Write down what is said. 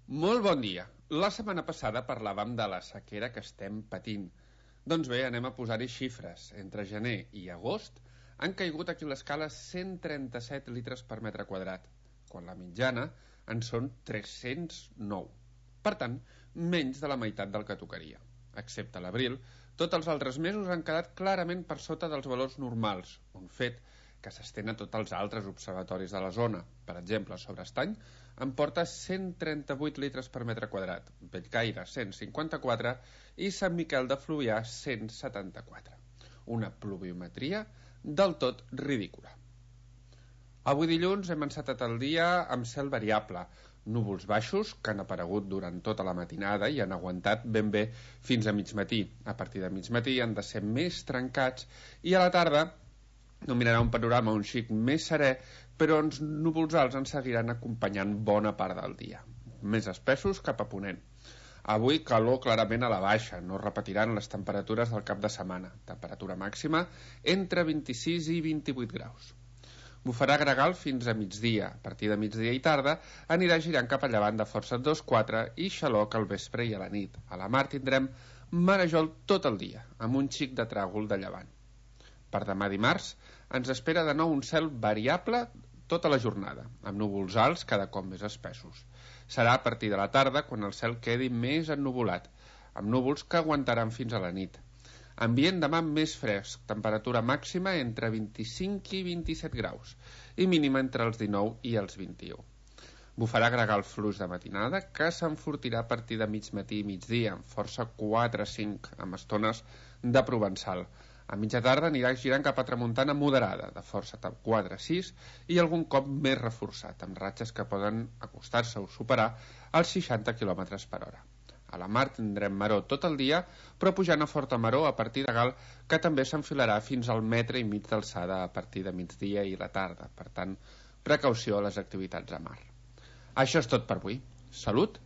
Molt bon dia. La setmana passada parlàvem de la sequera que estem patint. Doncs bé, anem a posar-hi xifres. Entre gener i agost han caigut aquí a l'escala 137 litres per metre quadrat, quan la mitjana en són 309. Per tant, menys de la meitat del que tocaria. Excepte l'abril, tots els altres mesos han quedat clarament per sota dels valors normals, un fet que s'estén a tots els altres observatoris de la zona. Per exemple, sobre Estany en porta 138 litres per metre quadrat, Bellcaire 154 i Sant Miquel de Fluvià 174. Una pluviometria del tot ridícula. Avui dilluns hem encetat el dia amb cel variable, núvols baixos que han aparegut durant tota la matinada i han aguantat ben bé fins a migmatí. A partir de migmatí han de ser més trencats i a la tarda dominarà un panorama un xic més serè, però els núvols alts ens seguiran acompanyant bona part del dia, més espessos cap a ponent. Avui calor clarament a la baixa, no repetiran les temperatures del cap de setmana, temperatura màxima entre 26 i 28 graus. Bufarà gregal fins a migdia. A partir de migdia i tarda anirà girant cap a llevant de força 2-4 i xaloc al vespre i a la nit. A la mar tindrem marejol tot el dia, amb un xic de tràgol de llevant. Per demà dimarts ens espera de nou un cel variable tota la jornada, amb núvols alts cada cop més espessos. Serà a partir de la tarda quan el cel quedi més ennuvolat, amb núvols que aguantaran fins a la nit. Ambient demà més fresc, temperatura màxima entre 25 i 27 graus i mínima entre els 19 i els 21. Bufarà gregal fluix de matinada que s'enfortirà a partir de mig matí i migdia, amb força 4-5, amb estones de provençal. A mitja tarda anirà girant cap a tramuntana moderada, de força 4-6 i algun cop més reforçat, amb ratxes que poden acostar-se o superar els 60 km per hora. A la mar tindrem maror tot el dia, però pujant a forta maror a partir de gal, que també s'enfilarà fins al 1,5 metres d'alçada a partir de migdia i la tarda. Per tant, precaució a les activitats a mar. Això és tot per avui. Salut